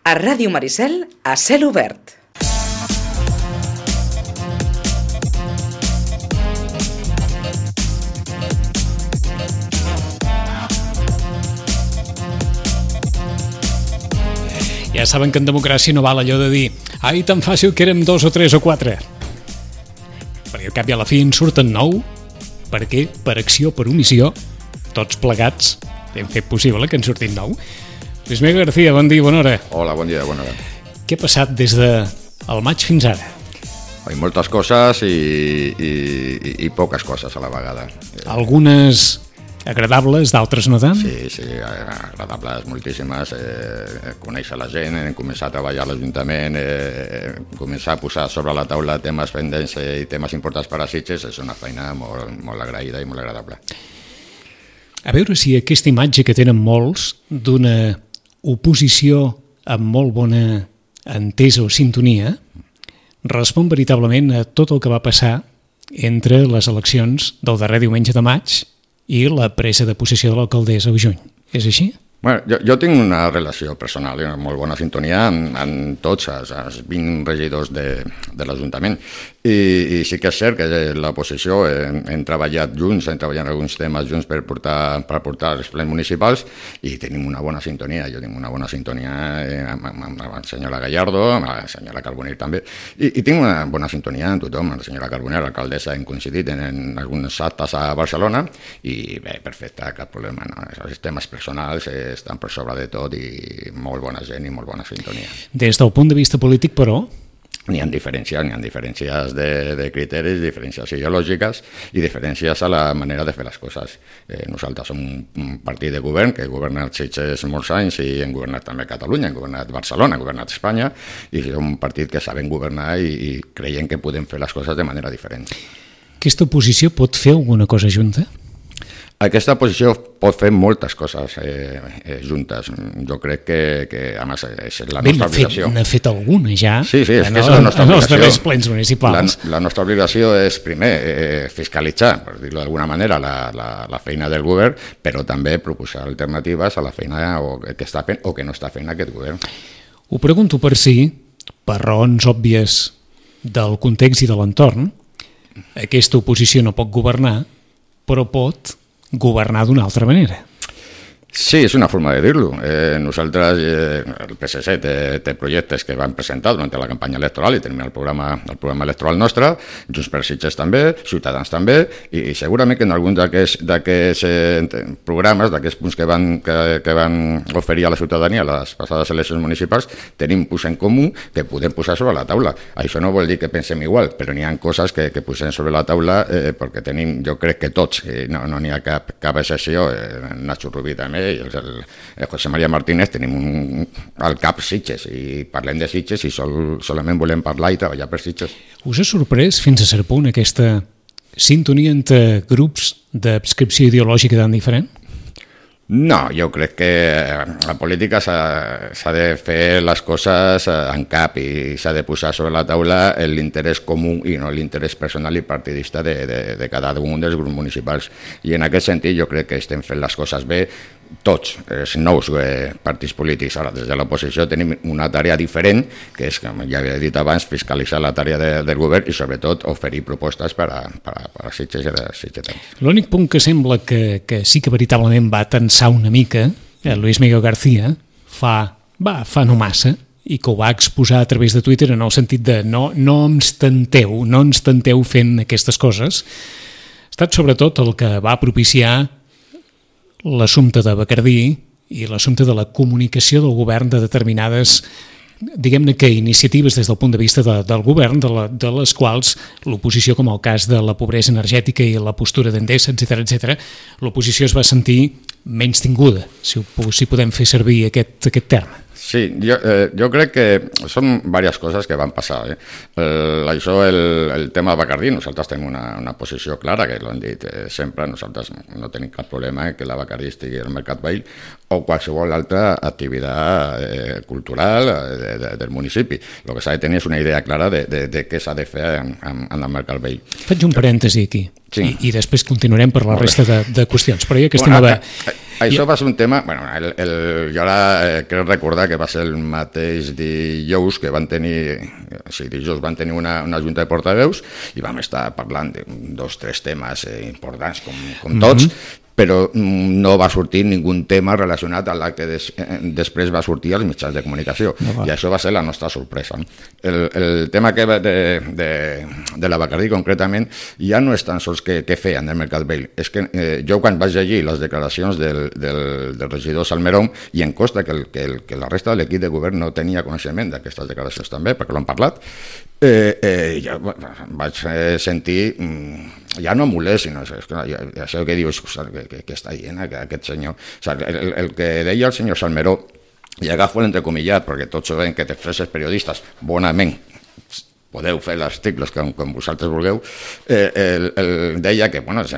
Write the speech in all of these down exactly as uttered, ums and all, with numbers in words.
A Ràdio Maricel, a cel obert. Ja saben que en democràcia no val allò de dir ai, tan fàcil que érem dos o tres o quatre. Perquè al cap i a la fi en surten nou, perquè per acció o per omissió, tots plegats hem fet possible que en surtin nou. Luis Miguel García, bon dia, bona hora. Hola, bon dia, bona hora. Què ha passat des del maig fins ara? Hay moltes coses i, i, i poques coses a la vegada. Algunes agradables, d'altres no tant? Sí, sí, agradables moltíssimes. Eh, conèixer la gent, començar a treballar a l'Ajuntament, eh, començar a posar sobre la taula temes pendents i temes importants per a Sitges, és una feina molt, molt agraïda i molt agradable. A veure si aquesta imatge que tenen molts d'una oposició amb molt bona entesa o sintonia respon veritablement a tot el que va passar entre les eleccions del darrer diumenge de maig i la presa de possessió de l'alcaldessa a juny. És així? Bueno, jo, jo tinc una relació personal i una molt bona sintonia amb, amb tots els, els vint regidors de, de l'Ajuntament. I, I sí que és cert que l'oposició hem, hem treballat junts, hem treballat alguns temes junts per portar, per portar els plens municipals i tenim una bona sintonia. Jo tinc una bona sintonia amb, amb, amb la senyora Gallardo, amb la senyora Carbonell també, i, i tinc una bona sintonia amb tothom. La senyora Carbonell, l'alcaldessa, hem coincidit en, en alguns actes a Barcelona i bé, perfecte, cap problema. No? Els temes personals eh, estan per sobre de tot i molt bona gent i molt bona sintonia. Des del punt de vista polític, però, n'hi ha diferències, n'hi ha diferències de, de criteris, diferències ideològiques i diferències a la manera de fer les coses. Eh, nosaltres som un partit de govern que ha governat Sitges molts anys i hem governat també Catalunya, hem governat Barcelona, hem governat Espanya i som un partit que sabem governar i, i creiem que podem fer les coses de manera diferent. Aquesta oposició pot fer alguna cosa junta? Aquesta posició pot fer moltes coses eh, eh, juntes. Jo crec que, que a més, és la Bé, nostra obligació. N'ha fet alguna ja, sí, sí, és en, que és la nostra en obligació. els darrers plens municipals. La, la nostra obligació és, primer, eh, fiscalitzar, per dir-ho d'alguna manera, la, la, la feina del govern, però també proposar alternatives a la feina o que està fent o que no està fent aquest govern. Ho pregunto per si, per raons òbvies del context i de l'entorn, aquesta oposició no pot governar, però pot governar d'una altra manera. Sí, és una forma de dir-lo. Eh, nosaltres, eh, el P S C té, té projectes que van presentar durant la campanya electoral i tenim el programa, el programa electoral nostre, Junts per Sitges també, Ciutadans també, i, i segurament que en alguns d'aquests eh, programes, d'aquests punts que van, que, que van oferir a la ciutadania a les passades eleccions municipals, tenim punts en comú que podem posar sobre la taula. Això no vol dir que pensem igual, però n'hi ha coses que, que posem sobre la taula eh, perquè tenim, jo crec que tots, eh, no n'hi no ha cap, cap excepció, eh, Nacho Rubí també, i el, el José María Martínez tenim un, al cap Sitges i parlem de Sitges i sol, solament volem parlar i treballar per Sitges. Us ha sorprès fins a cert punt aquesta sintonia entre grups d'adscripció ideològica tan diferent? No, jo crec que la política s'ha de fer les coses en cap i s'ha de posar sobre la taula l'interès comú i no l'interès personal i partidista de, de, de cada un dels grups municipals. I en aquest sentit jo crec que estem fent les coses bé tots els nous eh, partits polítics. Ara, des de l'oposició tenim una tarea diferent, que és, com ja havia dit abans, fiscalitzar la tarea de, del govern i sobretot oferir propostes per a, per a, per a Sitges i a Sitgetans. L'únic punt que sembla que, que sí que veritablement va tensar una mica, eh, Luis Miguel García, fa, va, fa no massa, i que ho va exposar a través de Twitter en el sentit de no, no ens tenteu, no ens tenteu fent aquestes coses, ha estat sobretot el que va propiciar l'assumpte de Bacardí i l'assumpte de la comunicació del govern de determinades, diguem-ne que iniciatives des del punt de vista de, del govern, de, la, de les quals l'oposició, com el cas de la pobresa energètica i la postura d'Endesa, etcètera, etcètera, l'oposició es va sentir menys tinguda, si, ho, si podem fer servir aquest, aquest terme. Sí, jo, eh, jo crec que són diverses coses que van passar. Eh? El, això, el, el tema de Bacardí, nosaltres tenim una, una posició clara, que l'hem dit eh, sempre, nosaltres no tenim cap problema que la Bacardí estigui al Mercat Vell o qualsevol altra activitat eh, cultural de, de, del municipi. El que s'ha de tenir és una idea clara de, de, de què s'ha de fer en, en, en el Mercat Vell. Faig un parèntesi aquí, sí. I, i després continuarem per la resta de, de qüestions, però ja que estem bueno, a... Això va ser un tema... Bueno, el, el, jo ara eh, crec recordar que va ser el mateix dijous que van tenir... Sí, dijous van tenir una, una junta de portaveus i vam estar parlant de dos, tres temes eh, importants, com, com tots, mm-hmm. però no va sortir ningun tema relacionat amb el que des, eh, després va sortir als mitjans de comunicació. No, i això va ser la nostra sorpresa. El, el tema que de, de, de la Bacardí, concretament, ja no és tan sols que, que feien del Mercat Vell. És que eh, jo, quan vaig llegir les declaracions del, del, del regidor Salmerón, i em consta que, el, que, el, que la resta de l'equip de govern no tenia coneixement d'aquestes declaracions també, perquè l'han parlat, eh, eh, ja vaig sentir... Mm, ja no molest, sinó és que això que dius, que, que, que està dient aquest senyor. O sigui, el, el que deia el senyor Salmeró, i agafo l'entrecomillat, perquè tots sabem que després els periodistes, bonament, podeu fer els articles com, com vosaltres vulgueu, eh, el, el deia que bueno,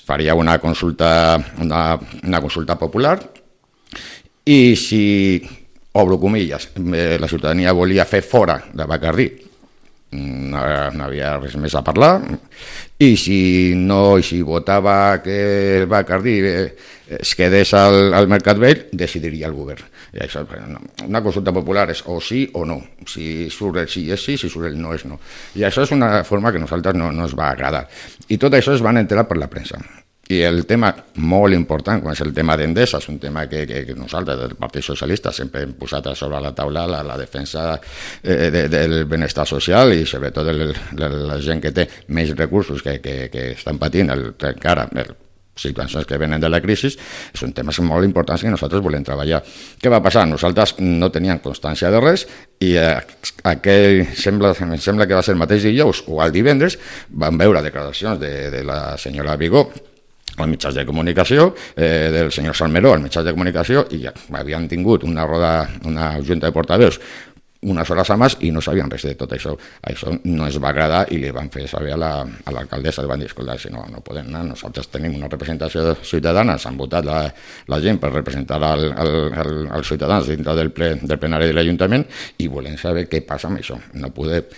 faria una consulta, una, una consulta popular, i si, obro comilles, la ciutadania volia fer fora de Bacardí, no, no havia res més a parlar, i si no, i si votava que el Bacardí es quedés al, al Mercat Vell, decidiria el govern. I això, una consulta popular és o sí o no. Si surt el sí és sí, si surt el no és no. I això és una forma que a nosaltres no, no ens va agradar. I tot això es van enterar per la premsa. I el tema molt important, com és el tema d'Endesa, és un tema que, que, que nosaltres, del Partit Socialista, sempre hem posat sobre la taula la, la defensa eh, de, del benestar social i sobretot de, de la gent que té més recursos que, que, que estan patint el, encara el, situacions que venen de la crisi, són temes molt importants que nosaltres volem treballar. Què va passar? Nosaltres no teníem constància de res i eh, aquell, sembla, sembla que va ser el mateix dijous o el divendres, vam veure declaracions de, de la senyora Vigó als mitjans de comunicació, eh, del senyor Salmeró als mitjans de comunicació, i ja havien tingut una roda, una junta de portaveus unes hores abans i no sabien res de tot això. Això no es va agradar i li van fer saber a l'alcaldessa, li van dir, escolta, si no, no podem anar, nosaltres tenim una representació ciutadana, s'han votat la, la gent per representar el, el, el, els ciutadans dintre del, ple, del plenari de l'Ajuntament i volem saber què passa amb això. No podem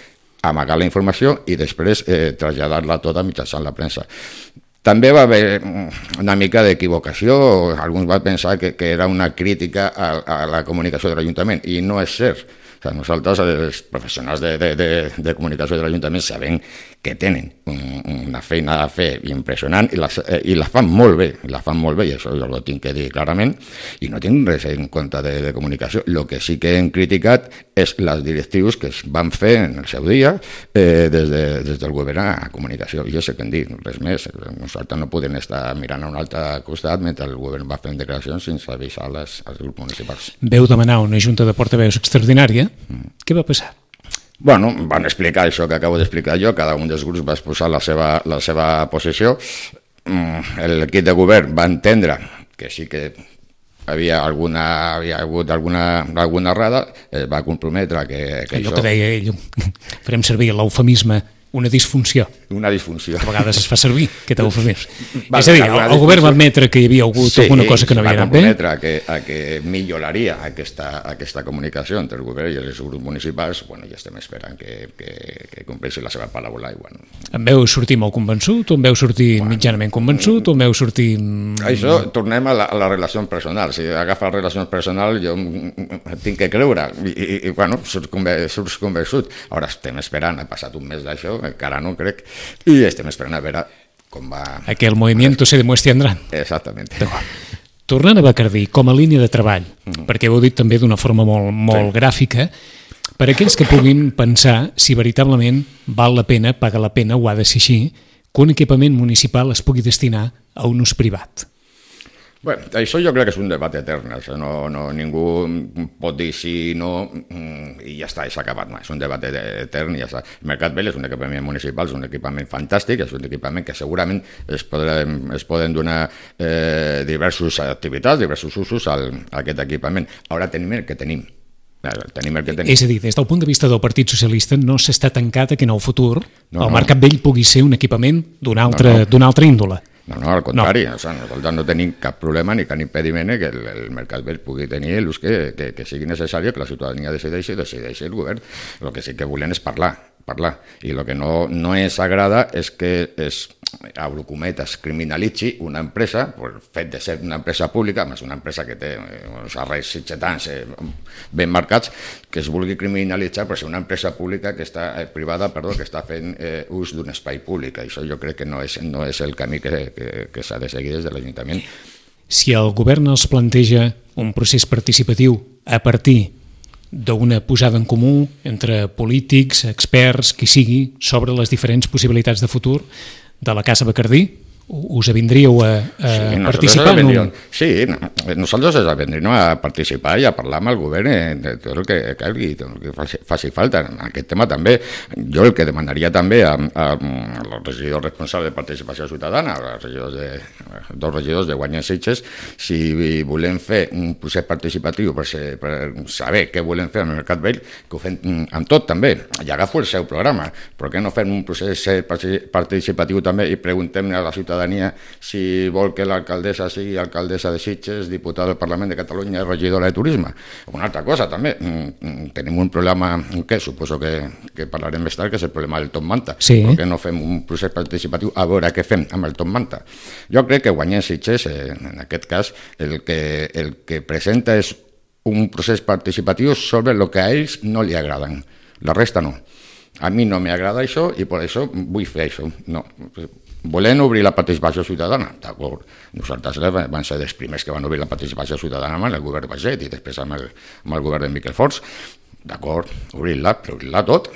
amagar la informació i després eh, traslladar-la tota mitjançant la premsa. També va haver una mica d'equivocació, alguns van pensar que, que era una crítica a, a la comunicació de l'Ajuntament, i no és cert. O sigui, nosaltres, els professionals de, de, de, de comunicació de l'Ajuntament, sabem que tenen una feina a fer impressionant i la, i la fan molt bé, la fan molt bé, i això jo ho tinc que dir clarament, i no tinc res en compte de, de comunicació. El que sí que hem criticat és les directrius que es van fer en el seu dia eh, des, de, des del govern a comunicació. I jo sé què hem dit, res més. Nosaltres no podem estar mirant a un altre costat mentre el govern va fent declaracions sense avisar les, als grups municipals. Veu demanar una junta de portaveus extraordinària. Mm. Què va passar? Bueno, van explicar això que acabo d'explicar jo, cada un dels grups va exposar la seva, la seva posició, l'equip de govern va entendre que sí que havia, alguna, havia hagut alguna, alguna errada, es va comprometre que, que allò això... que deia ell, farem servir l'eufemisme, una disfunció. Una disfunció. Que a vegades es fa servir, aquest eufemisme. És a dir, el, el govern va admetre que hi havia hagut sí, alguna cosa que no havia anat bé. Sí, va comprometre a que, a que milloraria aquesta, aquesta comunicació entre el govern i els grups municipals. Bueno, ja estem esperant que, que, que compleixi la seva paraula. I, bueno. Em veu sortir molt convençut, o em veu sortir bueno, mitjanament convençut, o em veu sortir... Això, tornem a la, a la relació personal. Si agafa la relació personal, jo tinc que creure. I, i, i bueno, surts convençut. Ara estem esperant, ha passat un mes d'això, encara no crec, i estem esperant a veure com va... Aquel movimiento se demuestre Andrán. Exactament. Tornant a Bacardí, com a línia de treball, mm. perquè ho heu dit també d'una forma molt, molt sí. gràfica, per a aquells que puguin pensar si veritablement val la pena, paga la pena, o ha de ser així, que un equipament municipal es pugui destinar a un ús privat. Bueno, això jo crec que és un debat etern, això no, no, ningú pot dir sí, no, i ja està, s'ha acabat, no, és un debat etern i ja està. El Mercat Vell és un equipament municipal, és un equipament fantàstic, és un equipament que segurament es poden, es poden donar eh, diverses activitats, diversos usos al, a aquest equipament. Ara tenim el que tenim. Tenim el que tenim. És a dir, des del punt de vista del Partit Socialista no s'està tancat a que en el futur no, el Mercat Vell pugui ser un equipament d'una altra, no, no. d'una altra índole. No, no, al contrari, no. O sigui, nosaltres no tenim cap problema ni cap impediment que el, el Mercat Vell pugui tenir l'ús que, que, que sigui necessari, que la ciutadania decideixi, decideixi el govern. El que sí que volem és parlar, parlar. I el que no, no ens agrada és que es, obro cometes, criminalitzi una empresa per fet de ser una empresa pública, més una empresa que té uns arrels sitgetans eh, ben marcats, que es vulgui criminalitzar per ser una empresa pública que està eh, privada, perdó, que està fent eh, ús d'un espai públic. Això jo crec que no és, no és el camí que, que, que s'ha de seguir des de l'Ajuntament. Si el govern els planteja un procés participatiu a partir d'una posada en comú entre polítics, experts, qui sigui, sobre les diferents possibilitats de futur de la Casa Bacardí, us avindríeu a, a sí, participar en un... Sí, nosaltres ens avindríem a participar i a parlar amb el govern de tot el que calgui, tot el que faci, faci falta. En aquest tema també, jo el que demanaria també a, a, a els regidors responsables de participació ciutadana, als regidors de, dos regidors de Guanyar Sitges, si volem fer un procés participatiu per, ser, per saber què volem fer amb el Mercat Vell, que ho fem amb tot també, i agafo el seu programa, però que no fem un procés participatiu també i preguntem a la ciutadania si vol que l'alcaldessa sigui alcaldessa de Sitges, diputada del Parlament de Catalunya i regidora de Turisme. Una altra cosa també, tenim un problema que suposo que, que parlarem més tard, que és el problema del Top Manta. Sí. Per què no fem un procés participatiu a veure què fem amb el Top Manta? Jo crec que Guanyar Sitges, en aquest cas, el que, el que presenta és un procés participatiu sobre el que a ells no li agraden. La resta no. A mi no m'agrada això i per això vull fer això. No. Volem obrir la participació ciutadana, d'acord. Nosaltres vam ser dels primers que van obrir la participació ciutadana amb el govern Baget i després amb el, amb el govern de Miquel Forns. D'acord, obrir-la, però obrir-la tot.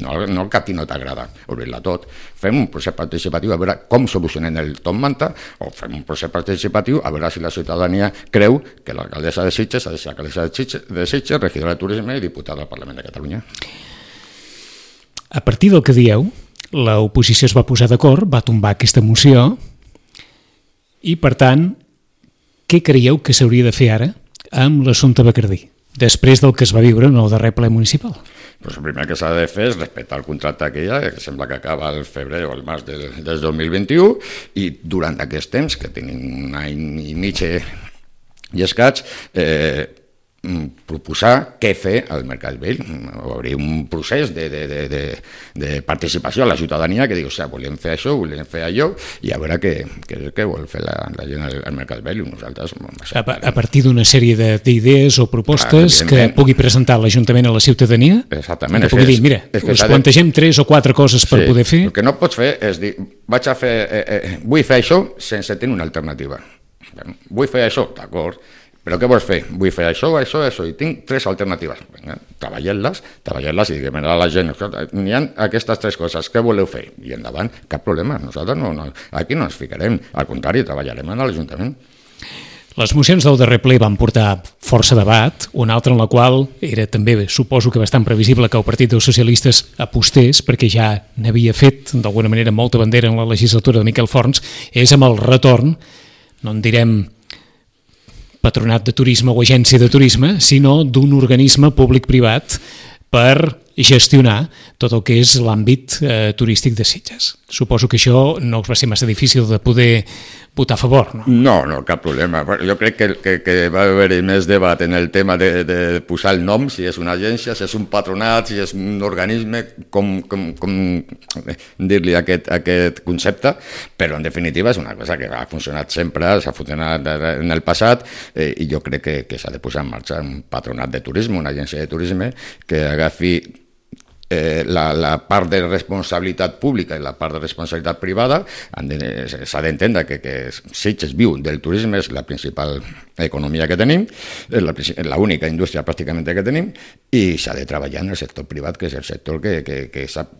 No, no el que a ti no t'agrada, obrir-la tot. Fem un procés participatiu a veure com solucionem el Top Manta o fem un procés participatiu a veure si la ciutadania creu que l'alcaldessa de Sitges ha de ser alcaldessa de Sitges, de Sitges, regidora de Turisme i diputada del Parlament de Catalunya. A partir del que dieu, l'oposició es va posar d'acord, va tombar aquesta moció i, per tant, què creieu que s'hauria de fer ara amb l'assumpte Bacardí, després del que es va viure en el darrer ple municipal? Pues el primer que s'ha de fer és respectar el contracte que hi ha, que sembla que acaba el febrer o el març del, del dos mil vint-i-u, i durant aquest temps, que tenim un any i mig i escaig, eh, proposar què fer al Mercat Vell, obrir un procés de, de, de, de, de participació a la ciutadania que diu, o sigui, volem fer això, volem fer allò, i a veure què, què, què vol fer la, la gent al, al Mercat Vell. Nosaltres, a, a partir d'una sèrie d'idees o propostes ah, que pugui presentar l'Ajuntament a la ciutadania, exactament, que pugui dir, mira, us que plantegem de... tres o quatre coses per sí, poder fer. El que no pots fer és dir, vaig a fer, eh, eh, vull fer això sense tenir una alternativa. Vull fer això, d'acord, però què vols fer? Vull fer això, això, això, i tinc tres alternatives. Vinga, treballem-les, treballem-les i diguem a la gent, n'hi ha aquestes tres coses, què voleu fer? I endavant, cap problema, nosaltres no, no, aquí no ens ficarem, al contrari, treballarem a l'Ajuntament. Les mocions del darrer ple van portar força debat, una altra en la qual era també, suposo que bastant previsible que el Partit dels Socialistes apostés, perquè ja n'havia fet, d'alguna manera, molta bandera en la legislatura de Miquel Forns, és amb el retorn, no en direm patronat de turisme o agència de turisme, sinó d'un organisme públic-privat per gestionar tot el que és l'àmbit eh, turístic de Sitges. Suposo que això no us va ser massa difícil de poder votar a favor, no? No, no, cap problema. Jo crec que, que, que va haver-hi més debat en el tema de, de posar el nom, si és una agència, si és un patronat, si és un organisme, com, com, com dir-li aquest, aquest concepte, però en definitiva és una cosa que ha funcionat sempre, s'ha funcionat en el passat, eh, i jo crec que, que s'ha de posar en marxa un patronat de turisme, una agència de turisme, que agafi Eh, la, la part de responsabilitat pública i la part de responsabilitat privada. S'ha d'entendre que, que Sitges viu del turisme, és la principal economia que tenim, és l'única indústria pràcticament que tenim, i s'ha de treballar en el sector privat, que és el sector que, que, que sap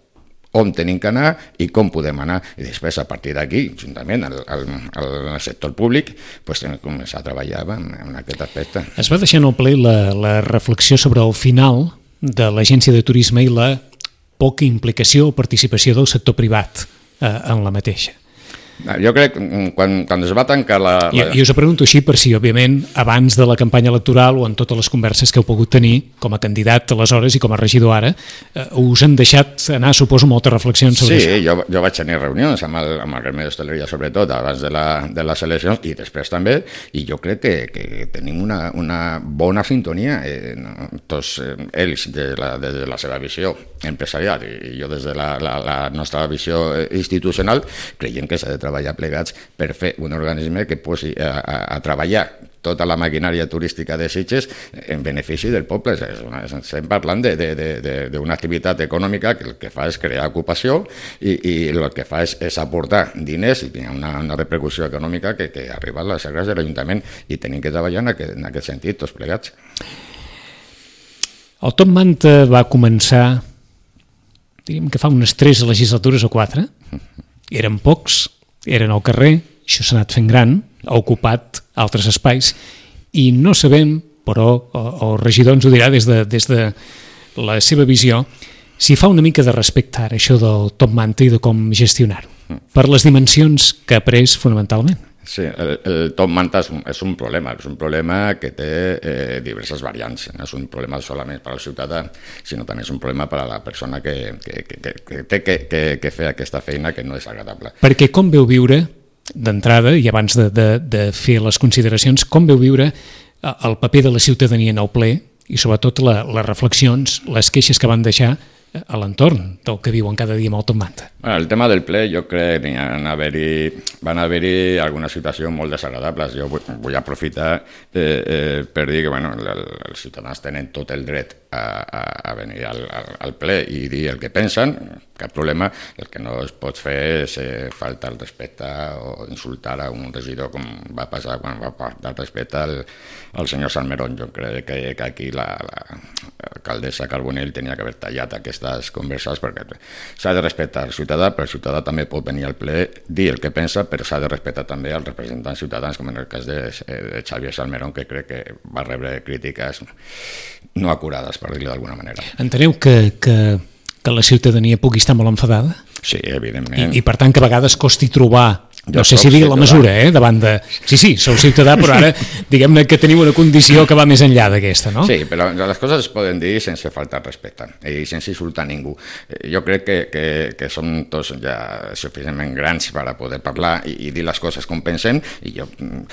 on tenim que anar i com podem anar, i després a partir d'aquí, juntament al, al, al sector públic, pues, començar a treballar en, en aquest aspecte. Es va deixar en el ple la, la reflexió sobre el final de l'agència de turisme i la poca implicació o participació del sector privat eh, en la mateixa. Jo crec que quan, quan es va tancar la... la... I, I us ho pregunto així per si, òbviament, abans de la campanya electoral o en totes les converses que heu pogut tenir com a candidat aleshores i com a regidor ara, eh, us han deixat anar, suposo, moltes reflexions sobre sí, això. Sí, jo, jo vaig tenir reunions amb el, amb el gremi d'hostaleria, sobretot, abans de, la, de les eleccions i després també, i jo crec que, que tenim una, una bona sintonia, eh, no? Tots eh, ells de la, de la seva visió empresarial i jo des de la, la, la nostra visió institucional creiem que s'ha de treballar plegats per fer un organisme que posi a, a, a treballar tota la maquinària turística de Sitges en benefici del poble. Estem parlant d'una activitat econòmica que el que fa és crear ocupació i, i el que fa és, és aportar diners i tenir una, una repercussió econòmica que, que arriba a les serres de l'Ajuntament i tenim que treballar en aquest, en aquest sentit, tots plegats. El Top Manta va començar, diríem que fa unes tres legislatures o quatre, eren pocs, eren al carrer, això s'ha anat fent gran, ha ocupat altres espais i no sabem, però el regidor ens ho dirà des de, des de la seva visió, si fa una mica de respecte ara això del Top Manta i de com gestionar-ho, per les dimensions que ha pres fonamentalment. Sí, el, el Top Manta és un, és un problema, és un problema que té eh, diverses variants, no és un problema solament per al ciutadà, sinó també és un problema per a la persona que, que, que, que té que, que, que fer aquesta feina que no és agradable. Perquè com veu viure, d'entrada, i abans de, de, de fer les consideracions, com veu viure el paper de la ciutadania en el ple i sobretot la, les reflexions, les queixes que van deixar a l'entorn del que viuen cada dia amb el Top Manta? Bueno, el tema del ple, jo crec que van haver-hi van haver-hi algunes situacions molt desagradables. Jo vull, vull aprofitar eh, eh, per dir que bueno, el, els ciutadans tenen tot el dret a, a, a venir al, al, al ple i dir el que pensen, cap problema. El que no es pot fer és eh, faltar el respecte o insultar a un regidor, com va passar quan va faltar el respecte al, al senyor Salmerón. Jo crec que, que aquí la, la alcaldessa Carbonell tenia que haver tallat aquestes converses perquè s'ha de respectar el ciutadà, però el ciutadà també pot venir al ple, dir el que pensa, però s'ha de respectar també els representants ciutadans, com en el cas de, de Xavier Salmerón, que crec que va rebre crítiques no acurades, per dir-ho d'alguna manera. Enteneu que, que, que la ciutadania pugui estar molt enfadada? Sí, evidentment. I, i per tant que a vegades costi trobar, no Jo sé si dir la mesura, eh, davant de... Sí, sí, sou ciutadà, però ara diguem-ne que teniu una condició que va més enllà d'aquesta, no? Sí, però les coses es poden dir sense faltar respecte i sense insultar ningú. Jo crec que, que, que som tots ja suficientment grans per a poder parlar i, i dir les coses com pensem, i jo,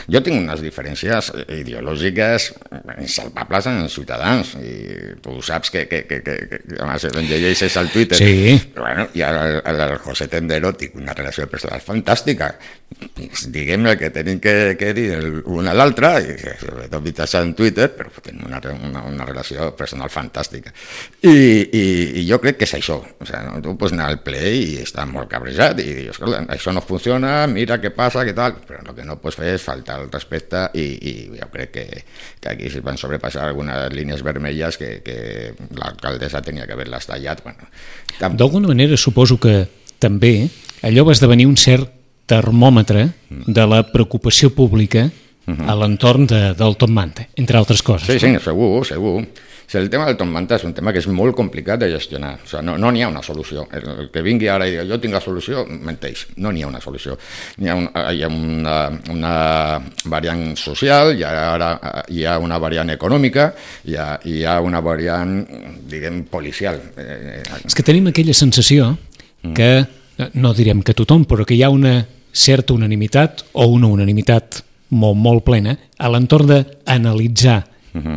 jo tinc unes diferències ideològiques insalvables en els ciutadans, i tu saps que, que, que, que, que además en llegeixes al Twitter, sí. Bueno, i al, al José Tendero tinc una relació personal fantàstica. Diguem-ne que tenim que, que dir un a l'altre, i sobretot mitjançant en Twitter, però tenim una, una, una relació personal fantàstica. I, i, i jo crec que és això. O sigui, no? Tu pots anar al ple i estar molt cabrejat i dir, escolta, això no funciona, mira què passa, què tal, però el que no pots fer és faltar el respecte i, i jo crec que, que aquí es van sobrepassar algunes línies vermelles que, que l'alcaldessa tenia que haver-les tallat. Bueno, tam... D'alguna manera suposo que també allò va esdevenir un cert termòmetre de la preocupació pública a l'entorn de, del Top Manta, entre altres coses. Sí, sí, segur, segur. O sigui, el tema del Top Manta és un tema que és molt complicat de gestionar. O sigui, no no n'hi ha una solució. El, el que vingui ara i digui jo tinc la solució, menteix. No n'hi ha una solució. Hi ha, un, hi ha una, una variant social, hi ha, ara, hi ha una variant econòmica, hi ha, hi ha una variant, diguem, policial. És que tenim aquella sensació que, no direm que tothom, però que hi ha una certa unanimitat o una unanimitat molt, molt plena a l'entorn d'analitzar uh-huh.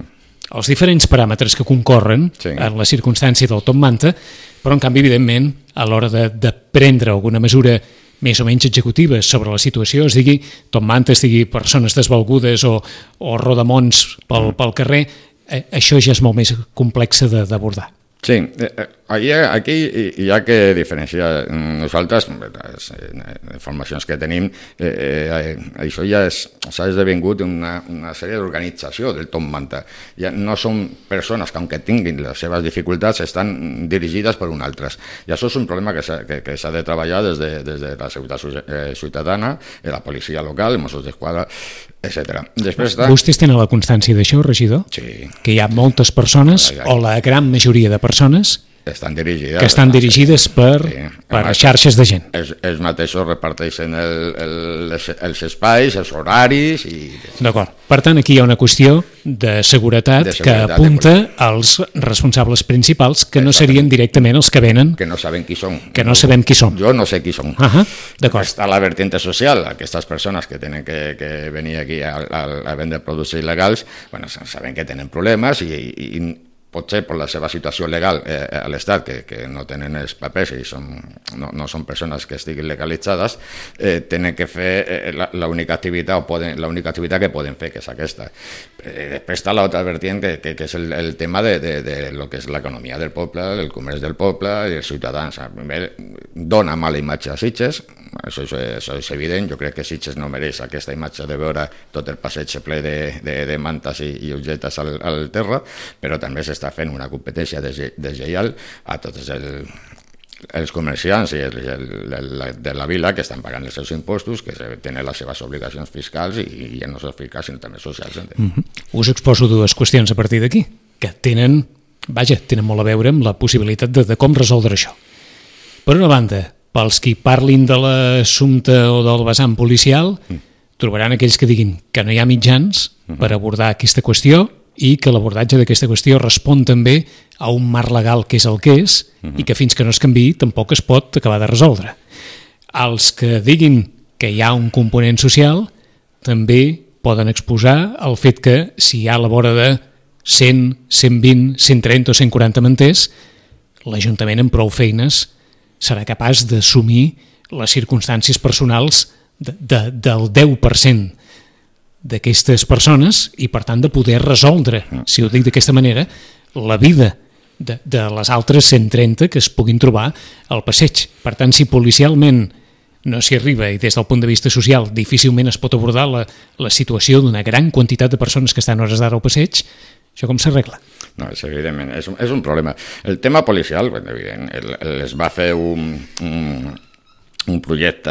els diferents paràmetres que concorren sí. en la circumstància del Top Manta, però en canvi, evidentment, a l'hora de, de prendre alguna mesura més o menys executiva sobre la situació, es digui Top Manta, es digui persones desvalgudes o, o rodamons pel, pel carrer, eh, això ja és molt més complex d'abordar. Sí, aquí, aquí hi ha que diferenciar. Nosaltres, les informacions que tenim, eh, eh, això ja s'ha esdevingut una, una sèrie d'organització del Top Manta. Ja no són persones que, aunque tinguin les seves dificultats, estan dirigides per un altres. I això és un problema que s'ha que, que de treballar des de, des de la seguretat ciutadana, la policia local, els Mossos d'Esquadra, etcètera. Després de... Vostès tenen la constància d'això, regidor? Sí. Que hi ha moltes persones, o la gran majoria de persones, estan dirigides, que estan dirigides per, sí. per a xarxes de gent. Els, els mateixos reparteixen el, el, els, els espais, els horaris... i D'acord. Per tant, aquí hi ha una qüestió de seguretat, de seguretat que apunta als responsables principals, que no serien directament els que venen... Que no saben qui són. Que no sabem qui són. Jo no sé qui són. Uh -huh. D'acord. Està la vertiente social, aquestes persones que tenen que, que venir aquí a, a, a vendre productes il·legals, bueno, saben que tenen problemes i, i, i potser per la seva situació legal eh, a l'Estat, que, que no tenen els papers i són, no, no són persones que estiguin legalitzades, eh, tenen que fer eh, l'única activitat o poden, l'única activitat que poden fer, que és aquesta. Eh, després està l'altra vertiente, que, que, que és el, el tema de, de, de lo que és l'economia del poble, el comerç del poble i els ciutadans. Dona mala imatge a Sitges, això és, això és evident. Jo crec que Sitges no mereix aquesta imatge de veure tot el passeig ple de, de, de mantes i, i objectes al, al terra, però també s'està fent una competència deslleial a tots el, els comerciants i el, el, el, de la vila que estan pagant els seus impostos, que tenen les seves obligacions fiscals i, i ja no sols fiscals sinó també socials. Mm-hmm. Us exposo dues qüestions a partir d'aquí, que tenen, vaja, tenen molt a veure amb la possibilitat de, de com resoldre això. Per una banda, pels qui parlin de l'assumpte o del vessant policial, mm. trobaran aquells que diguin que no hi ha mitjans mm-hmm. per abordar aquesta qüestió i que l'abordatge d'aquesta qüestió respon també a un marc legal que és el que és uh-huh. i que fins que no es canviï tampoc es pot acabar de resoldre. Els que diguin que hi ha un component social també poden exposar el fet que si hi ha a la vora de cent, cent vint, cent trenta o cent quaranta manters, l'Ajuntament amb prou feines serà capaç d'assumir les circumstàncies personals de, de, del deu per cent d'aquestes persones i, per tant, de poder resoldre, si ho dic d'aquesta manera, la vida de, de les altres cent trenta que es puguin trobar al passeig. Per tant, si policialment no s'hi arriba i des del punt de vista social difícilment es pot abordar la, la situació d'una gran quantitat de persones que estan hores d'ara al passeig, això com s'arregla? No, és evidentment, és un, és un problema. El tema policial, ben evident, el, el, es va fer un... un un projecte,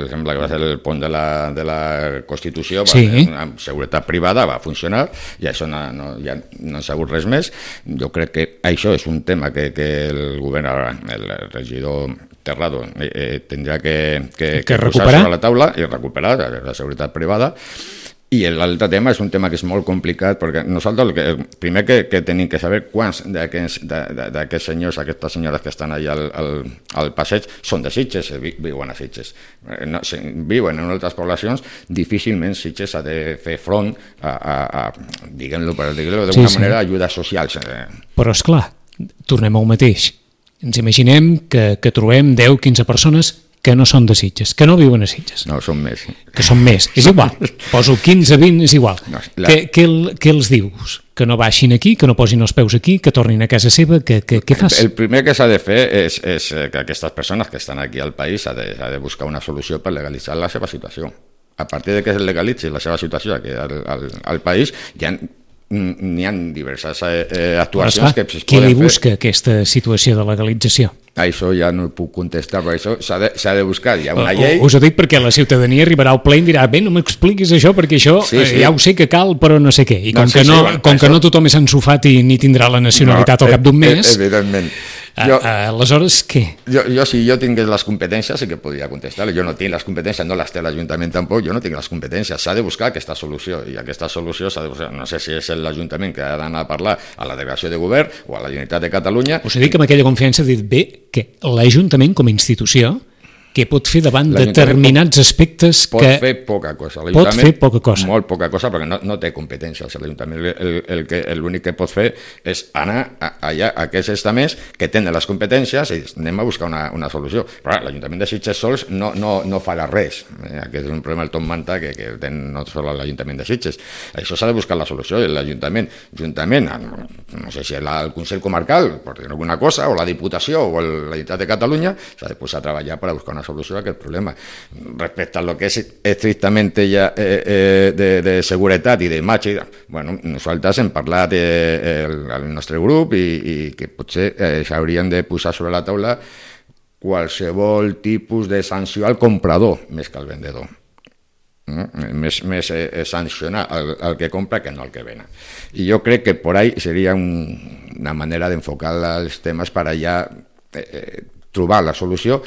sembla que va ser el pont de la, de la Constitució, va, sí. amb seguretat privada, va funcionar, i això no, no, ja no s'ha hagut res més. Jo crec que això és un tema que, que el govern, el regidor Terrado, eh, eh, tindrà que, que, que, que posar sobre la taula i recuperar la seguretat privada. I l'altre tema és un tema que és molt complicat, perquè nosaltres el, que, el primer que, que tenim que saber quants d'aquests senyors, aquestes senyores que estan allà al, al, al passeig són de Sitges, viuen a Sitges. No, si viuen en altres poblacions, difícilment Sitges ha de fer front a, a, a diguem-lo per dir-ho d'alguna sí, sí. manera, ajudes socials. Però esclar, tornem al mateix. Ens imaginem que, que trobem deu quinze persones que no són de Sitges, que no viuen a Sitges. No, són més. Que són més, és igual. Poso quinze, vint, és igual. No, la... què, què, què els dius? Que no baixin aquí, que no posin els peus aquí, que tornin a casa seva, que, que, què fas? El primer que s'ha de fer és, és que aquestes persones que estan aquí al país s'ha de, de buscar una solució per legalitzar la seva situació. A partir de que es legalitzi la seva situació aquí al, al, al país, ja n'hi ha diverses eh, actuacions clar, que es poden fer. Qui li busca aquesta situació de legalització? Això ja no puc contestar, però això s'ha de, s'ha de buscar. Hi ha una llei... Us ho dic perquè la ciutadania arribarà al ple i dirà bé, no m'expliquis això, perquè això sí, sí. ja ho sé que cal, però no sé què. I com, no, sí, que, no, sí, bueno, com això... que no tothom és ensofat i ni tindrà la nacionalitat no, al cap d'un mes... Evidentment. Jo, aleshores, què? Jo, jo, si jo tingués les competències, sí que podria contestar. Jo no tinc les competències, no les té l'Ajuntament tampoc, jo no tinc les competències. S'ha de buscar aquesta solució, i aquesta solució s'ha de buscar. No sé si és l'Ajuntament que ha d'anar a parlar a la delegació de govern o a la Generalitat de Catalunya. Us he dit que amb aquella confiança he dit bé que l'Ajuntament com a institució que pot fer davant determinats aspectes pot que... Pot fer poca cosa. Pot fer poca cosa. Molt poca cosa, perquè no, no té competències. L'Ajuntament el, el que, l'únic que pot fer és anar a, allà a aquests estaments que tenen les competències i anem a buscar una, una solució. Però l'Ajuntament de Sitges sols no, no, no farà res. Eh, aquest és un problema del Tom Manta que, que ten no sols l'Ajuntament de Sitges. Això s'ha de buscar la solució. L'Ajuntament, juntament, no sé si el Consell Comarcal, per dir alguna cosa, o la Diputació o la Generalitat de Catalunya, s'ha de posar a treballar per a buscar una solució a aquest problema. Respecte a lo que és estrictament ja eh, eh, de, de seguretat i d'imatge, bueno, nosaltres hem parlat eh, el, el nostre grup i, i que potser eh, s'haurien de posar sobre la taula qualsevol tipus de sanció al comprador més que al vendedor. Mm? Més, més eh, sancionar el, el que compra que no el que ven. I jo crec que por ahí seria un, una manera d'enfocar els temes per allà eh, trobar la solució.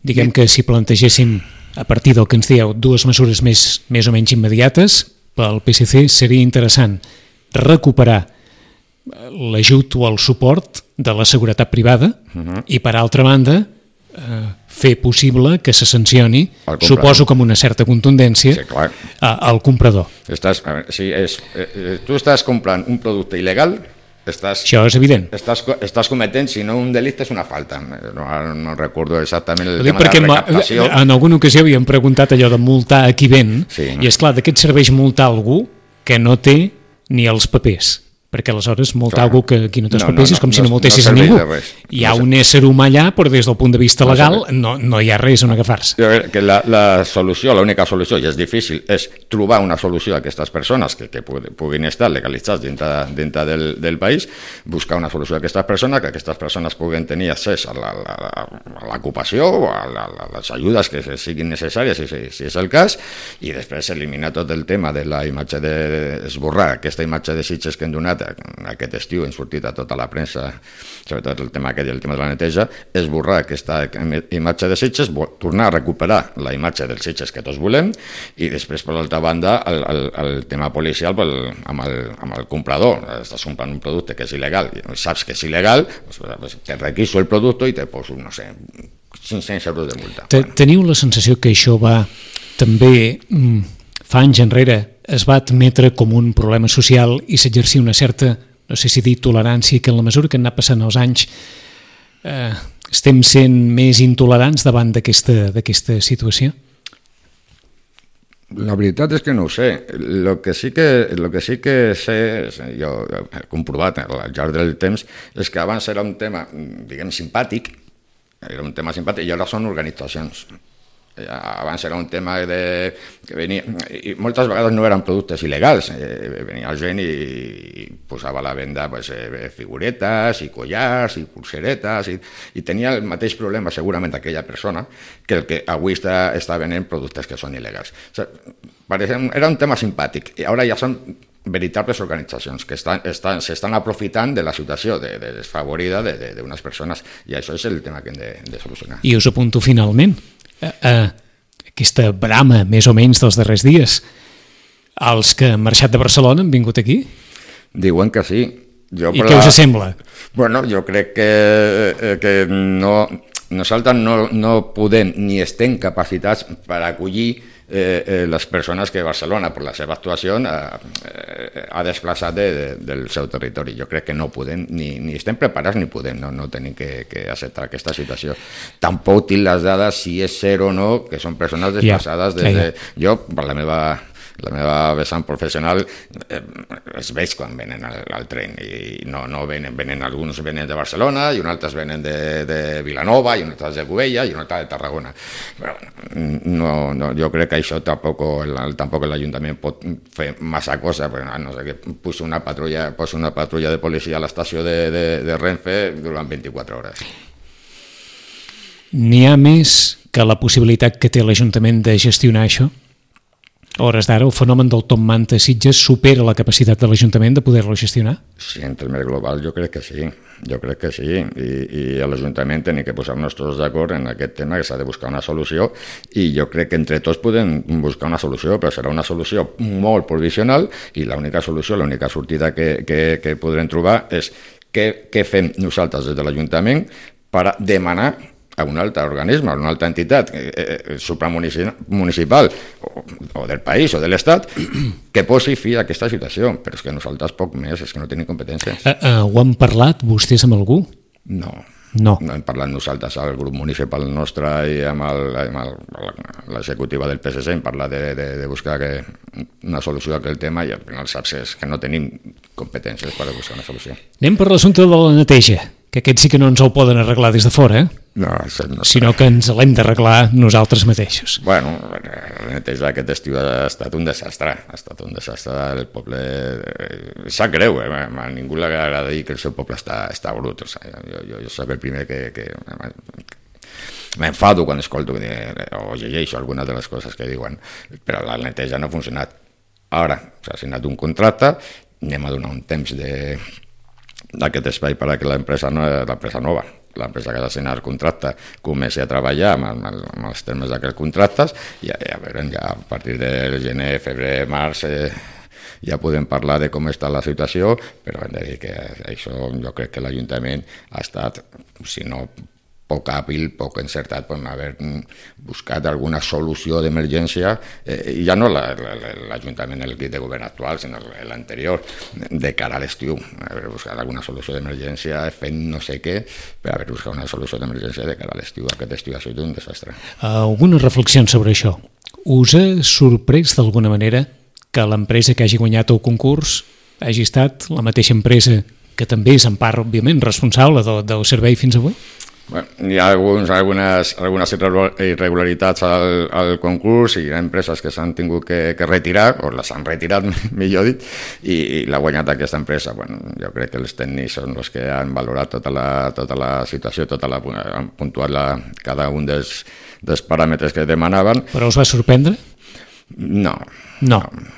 Diguem que si plantegéssim, a partir del que ens dieu, dues mesures més, més o menys immediates, pel P S C seria interessant recuperar l'ajut o el suport de la seguretat privada uh-huh. i, per altra banda, eh, fer possible que se sancioni, suposo que amb una certa contundència, sí, clar. al comprador. Estàs, a veure, si és, eh, tu estàs comprant un producte il·legal, estàs, això és evident. Estàs, estàs cometent, si no un delicte, és una falta. No, no recordo exactament el Ho dic tema de la recaptació. En alguna ocasió havíem preguntat allò de multar a qui ven, sí. I és clar, de què et serveix multar algú que no té ni els papers? Perquè aleshores multar algú que aquí no té els no, papers no, és com no, si no multessis no a ningú. Hi ha no un ésser humà allà, però des del punt de vista legal no, no hi ha res on agafar-se. Que la, la solució, l'única solució, i és difícil, és trobar una solució a aquestes persones que, que puguin estar legalitzats dintre, dintre del, del país, buscar una solució a aquestes persones, que aquestes persones puguin tenir accés a l'ocupació o a, la, a les ajudes que siguin necessàries, si, si és el cas, i després eliminar tot el tema de la imatge de, esborrar aquesta imatge de Sitges que hem donat aquest estiu, hem sortit a tota la premsa, sobretot el tema aquest i el tema de la neteja, esborrar aquesta imatge de Sitges, tornar a recuperar la imatge dels Sitges que tots volem, i després, per l'altra banda, el, el, el tema policial pel, amb, el, amb el comprador. Estàs comprant un producte que és il·legal, i saps que és il·legal, doncs te requiso el producte i te poso, no sé, cinc-cents euros de multa. Teniu la sensació que això va també, fa anys enrere, es va admetre com un problema social i s'exercia una certa, no sé si dir tolerància, que en la mesura que han anat passant els anys eh, estem sent més intolerants davant d'aquesta situació? La veritat és que no ho sé. El que sí que, lo que, sí que sé, jo he comprovat al llarg del temps, és que abans era un tema, diguem, simpàtic, era un tema simpàtic, i ara són organitzacions. Abans era un tema de, que venia, i moltes vegades no eren productes il·legals, eh, venia gent i, i posava a la venda pues, eh, figuretes i collars i pulseretes i, i tenia el mateix problema segurament aquella persona que el que avui està, està venent productes que són il·legals. O sigui, pareixen, era un tema simpàtic i ara ja són veritables organitzacions que estan, estan, s'estan aprofitant de la situació de, de desfavorida d'unes de, de persones, i això és el tema que hem de, de solucionar. I us apunto finalment a aquesta brama més o menys dels darrers dies. Els que han marxat de Barcelona han vingut aquí? Diuen que sí. Jo, I què us sembla? Bueno, jo crec que, que no, nosaltres no, no podem ni estem capacitats per acollir eh, eh, les persones que Barcelona, per la seva actuació, eh, ha desplaçat de, de, del seu territori. Jo crec que no podem, ni, ni estem preparats ni podem, no, no tenim que, que acceptar aquesta situació. Tampoc tinc les dades si és cert o no, que són persones desplaçades des de... Jo, per la meva... la meva vessant professional eh, es veig quan venen al, al tren i no, no venen, venen, alguns venen de Barcelona i uns altres venen de, de Vilanova i uns altres de Cubella i un altre de Tarragona. Però no, no, jo crec que això tampoc, el, tampoc l'Ajuntament pot fer massa cosa, perquè no sé, que posi una patrulla, posi una patrulla de policia a l'estació de, de, de Renfe durant vint-i-quatre hores. N'hi ha més que la possibilitat que té l'Ajuntament de gestionar això? A hores d'ara, el fenomen del Top Manta Sitges supera la capacitat de l'Ajuntament de poder-lo gestionar? Sí, en termes global jo crec que sí, jo crec que sí, i, i a l'Ajuntament tenim que posar-nos tots d'acord en aquest tema, que s'ha de buscar una solució, i jo crec que entre tots podem buscar una solució, però serà una solució molt provisional, i l'única solució, l'única sortida que, que, que podrem trobar és què, què fem nosaltres des de l'Ajuntament per demanar a un altre organisme, a una altra entitat eh, eh, supramunicipal o, o del país o de l'Estat que posi fi a aquesta situació, però és que nosaltres poc més, és que no tenim competències. Uh, uh, ho han parlat vostès amb algú? No. No. No hem parlat nosaltres al grup municipal nostre i amb, el, amb l'executiva del P S C, hem parlat de, de, de buscar que, una solució a aquell tema i al final saps que no tenim competències per buscar una solució. Anem per l'assumpte de la neteja, que aquest sí que no ens el poden arreglar des de fora, eh? No, no sinó que ens l'hem d'arreglar nosaltres mateixos. Bueno, la neteja aquest estiu ha estat un desastre, ha estat un desastre, el poble sap greu, eh? A ningú li agrada dir que el seu poble està, està brut, o sigui, jo, jo, jo soc el primer que, que m'enfado quan escolto o llegeixo algunes de les coses que diuen, però la neteja no ha funcionat. Ara s'ha signat un contracte, anem a donar un temps d'aquest espai perquè l'empresa no, l'empresa nova, l'empresa que ha de signar el contracte comenci a treballar amb, amb, amb els termes d'aquests contractes i ja, ja veurem, ja a partir del gener, febrer, març eh, ja podem parlar de com està la situació, però hem de dir que això jo crec que l'Ajuntament ha estat, si no poc hàbil, poc encertat, per haver buscat alguna solució d'emergència, eh, i ja no l'Ajuntament, l'equip de govern actual, sinó l'anterior, de cara a l'estiu, haver buscat alguna solució d'emergència fent no sé què, per haver buscat una solució d'emergència de cara a l'estiu. Aquest estiu ha sigut un desastre. Algunes reflexions sobre això. Us ha sorprès d'alguna manera que l'empresa que hagi guanyat el concurs hagi estat la mateixa empresa que també és en part, òbviament, responsable del, del servei fins avui? Bueno, hi ha alguns, algunes, algunes irregularitats al, al concurs i hi ha empreses que s'han tingut que, que retirar, o les han retirat, millor dit, i, i l'ha guanyat aquesta empresa. Bueno, jo crec que els tècnics són els que han valorat tota la, tota la situació, tota la, han puntuat la, cada un dels, dels paràmetres que demanaven. Però us va sorprendre? No. No. no.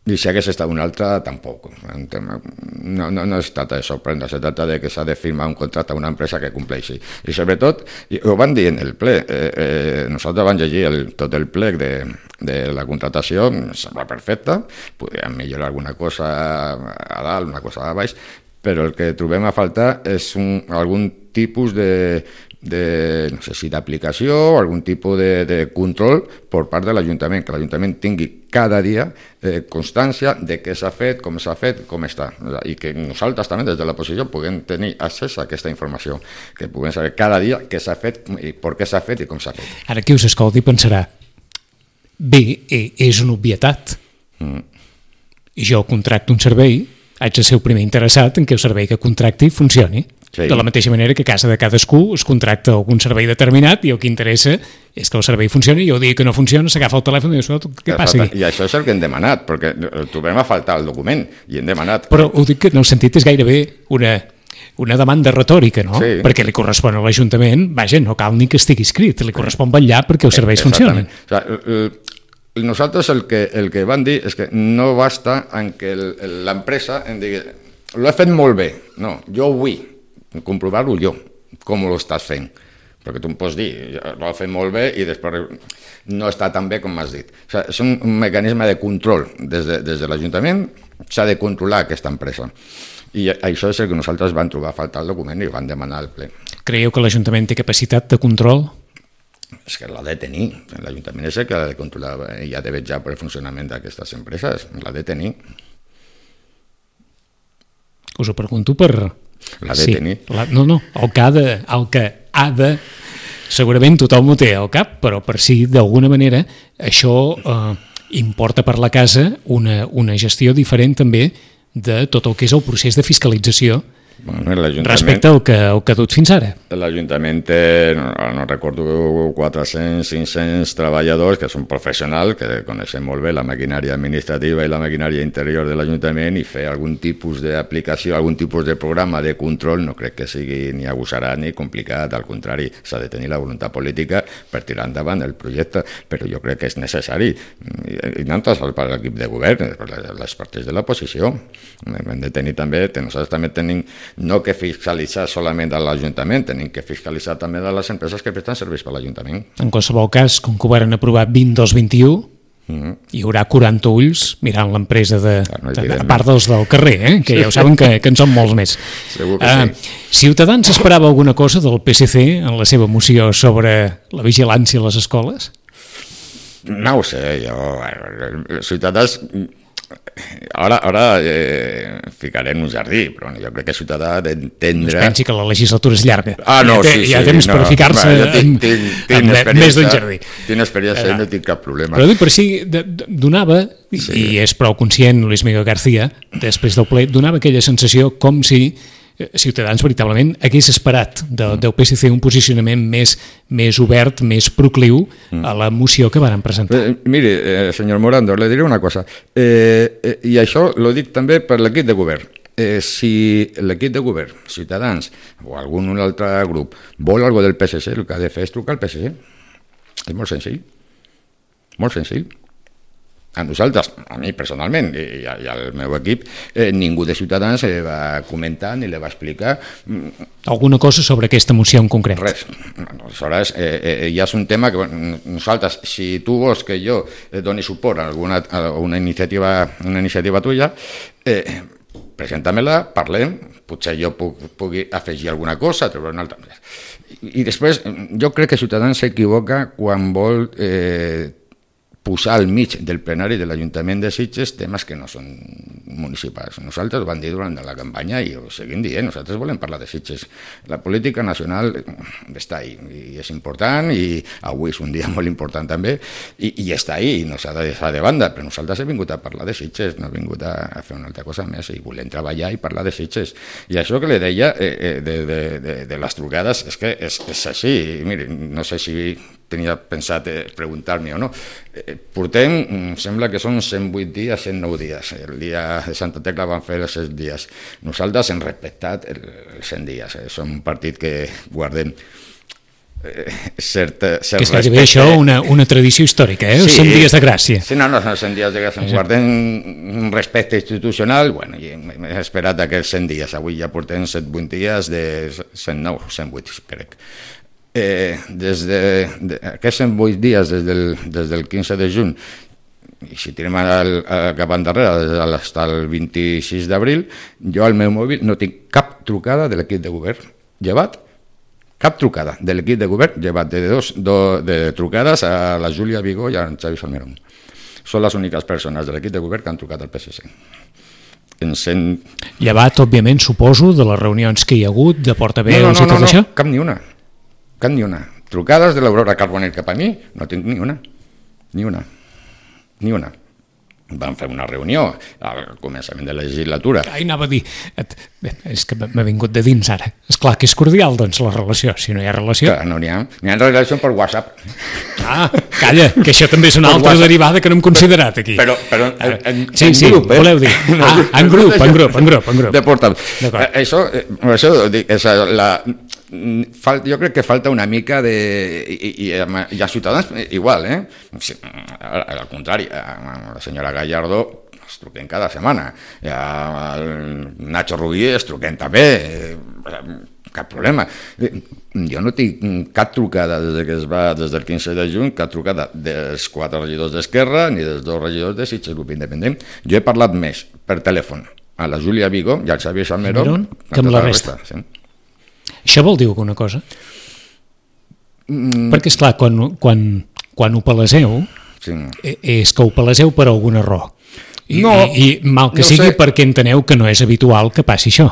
I si hagués estat una altra, tampoc. No, no, no es trata de sorprendre, se trata de que s'ha de firmar un contracte a una empresa que compleixi. I sobretot, i ho van dir en el ple, eh, eh, nosaltres vam llegir el, tot el plec de, de la contratació, em sembla perfecta, podríem millorar alguna cosa a dalt, una cosa a baix, però el que trobem a faltar és un, algun tipus de, de, no sé si d'aplicació o algun tipus de, de control per part de l'Ajuntament, que l'Ajuntament tingui cada dia eh, constància de què s'ha fet, com s'ha fet, com està, i que nosaltres també des de l'oposició puguem tenir accés a aquesta informació, que puguem saber cada dia què s'ha fet i per què s'ha fet i com s'ha fet. Ara qui us escolti pensarà, bé, és una obvietat. Mm. Jo contracto un servei, haig de ser el primer interessat en que el servei que contracti funcioni. Sí. De la mateixa manera que a casa de cadascú es contracta algun servei determinat i el que interessa és que el servei funcioni i el dia que no funciona s'agafa el telèfon i dius, què passa aquí? I això és el que hem demanat, perquè trobem a faltar el document i hem demanat... Però ho dic que en el sentit és gairebé una, una demanda retòrica, no? Sí. Perquè li correspon a l'Ajuntament, vaja, no cal ni que estigui escrit, li correspon vetllar perquè els serveis funcionin. O sigui, nosaltres el que, el que van dir és que no basta en que l'empresa em digui lo he fet molt bé, no, jo ho vull comprovar-ho jo, com ho estàs fent, perquè tu em pots dir ho he fet molt bé i després no està tan bé com m'has dit. O sigui, és un, un mecanisme de control des de, des de l'Ajuntament, s'ha de controlar aquesta empresa i això és el que nosaltres vam trobar a faltar el document i vam demanar al ple. Creieu que l'Ajuntament té capacitat de control? És que l'ha de tenir, l'Ajuntament és el que ha de controlar i ha de vetllar per el funcionament d'aquestes empreses, l'ha de tenir. Us ho pregunto per... L'ha de sí, tenir. La, no, no, el que, ha de, el que ha de... Segurament tothom ho té al cap, però per si d'alguna manera això eh, importa per la casa una, una gestió diferent també de tot el que és el procés de fiscalització bueno, respecte al que, al que ha dut fins ara. L'Ajuntament té, no, no recordo, quatre-cents, cinc-cents treballadors que són professionals, que coneixen molt bé la maquinària administrativa i la maquinària interior de l'Ajuntament i fer algun tipus d'aplicació, algun tipus de programa de control no crec que sigui ni agosarat ni complicat, al contrari, s'ha de tenir la voluntat política per tirar endavant el projecte, però jo crec que és necessari, i no tant per l'equip de govern, per les partits de l'oposició. Hem de tenir també, nosaltres també tenim no que fiscalitzar solament a l'Ajuntament, tenim que fiscalitzar també de les empreses que presten serveis per l'Ajuntament. En qualsevol cas, com que ho van aprovar vint dos vint u, mm-hmm. hi haurà quaranta ulls mirant l'empresa de, no, de, a part dels del carrer, eh? Que sí. Ja ho saben que, que en són molts més. Segur que uh, sí. Ciutadans esperava alguna cosa del P S C en la seva moció sobre la vigilància a les escoles? No ho sé, jo... Ciutadans... Ara, ara eh, ficaré en un jardí, però jo crec que Ciutadà ha d'entendre... No es pensi que la legislatura és llarga. Ah, no, ja té, sí, sí. Hi ha temps no, per ficar-se no, tinc, tinc, tinc en més d'un jardí. Tinc experiència i no tinc cap problema. Però dic, per si donava, sí. I és prou conscient Luis Miguel García, després del ple, donava aquella sensació com si Ciutadans veritablement hagués esperat del, del P S C un posicionament més, més obert, més procliu a la moció que varen presentar. Eh, mire, eh, senyor Morando, le diré una cosa, eh, eh, i això lo dic també per l'equip de govern. eh, si l'equip de govern, Ciutadans o algun altre grup vol alguna del P S C, el que ha de fer és trucar al P S C. És molt senzill. Molt senzill. A nosaltres, a mi personalment i, i al meu equip, eh, ningú de Ciutadans eh, va comentar ni li va explicar alguna cosa sobre aquesta moció en concret. Res. Aleshores, eh, eh, ja és un tema que nosaltres, si tu vols que jo eh, doni suport a alguna a una iniciativa, una iniciativa tuya, eh, presenta-me-la, parlem, potser jo puc, pugui afegir alguna cosa, treure una altra. I, i després, jo crec que Ciutadans s'equivoca quan vol eh, posar al mig del plenari de l'Ajuntament de Sitges temes que no són municipals. Nosaltres ho vam dir durant la campanya i ho seguim dient, nosaltres volem parlar de Sitges. La política nacional està ahí i és important i avui és un dia molt important també i, i està ahí i no s'ha de deixar de banda, però nosaltres hem vingut a parlar de Sitges, no hem vingut a, a fer una altra cosa més i volem treballar i parlar de Sitges. I això que li deia eh, de, de, de, de les trucades és que és, és així. Miri, no sé si tenia pensat eh, preguntar-me o no. Eh, portem, sembla que són cent vuit dies, cent nou dies. El dia de Santa Tecla van fer els set dies. Nosaltres hem respectat el, els cent dies. Eh. Som un partit que guardem eh, cert, cert que és gairebé això una, una tradició històrica, eh? Els sí, cent dies de gràcia. Sí, no, no, són cent dies de gràcia. Sí. Guardem un respecte institucional, bueno, i hem esperat aquests cent dies. Avui ja portem cent vuit dies de cent nou, cent vuit, crec. Eh, des de, de aquests cent vuit dies, des del, des del quinze de juny, i si tirem al, al, cap endarrere, fins al vint-i-sis d'abril, jo al meu mòbil no tinc cap trucada de l'equip de govern. Llevat, cap trucada de l'equip de govern, llevat de, dos, do, de trucades a la Júlia Vigó i a en Xavi Salmerón. Són les úniques persones de l'equip de govern que han trucat al P S C. En cent... Llevat, òbviament, suposo, de les reunions que hi ha hagut, de portaveus no, no, no, i tot no, això? No, cap ni una. Cap ni una. Trucades de l'Aurora Carbonell cap a mi, no tinc ni una. Ni una. Ni una. Vam fer una reunió al començament de la legislatura. Ai, anava a dir, és que m'ha vingut de dins ara. És clar que és cordial, doncs, la relació. Si no hi ha relació... Clar, no n'hi ha. N'hi ha relació per WhatsApp. Ah, calla, que això també és una altra derivada que no hem considerat aquí. Però, però en, en, sí, en sí, grup, eh? Voleu dir. Ah, en grup, en grup, en grup, en grup. De portal. Això, això dic, és la... jo crec que falta una mica de... I, i, i a Ciutadans igual, eh? Al contrari, a la senyora Gallardo es truquen cada setmana, i al Nacho Rubí es truquen també, cap problema. Jo no tinc cap trucada des que es va, des del quinze de juny, cap trucada dels quatre regidors d'Esquerra ni dels dos regidors de Sitges Grup Independent. Jo he parlat més per telèfon a la Júlia Vigó i al Xavier Salmerón que amb la resta. resta sí. Això vol dir alguna cosa? Mm. Perquè, esclar, quan, quan, quan ho paleseu, sí. és que ho paleseu per algun error. I, no, i, i mal que no sigui sé. Perquè enteneu que no és habitual que passi això.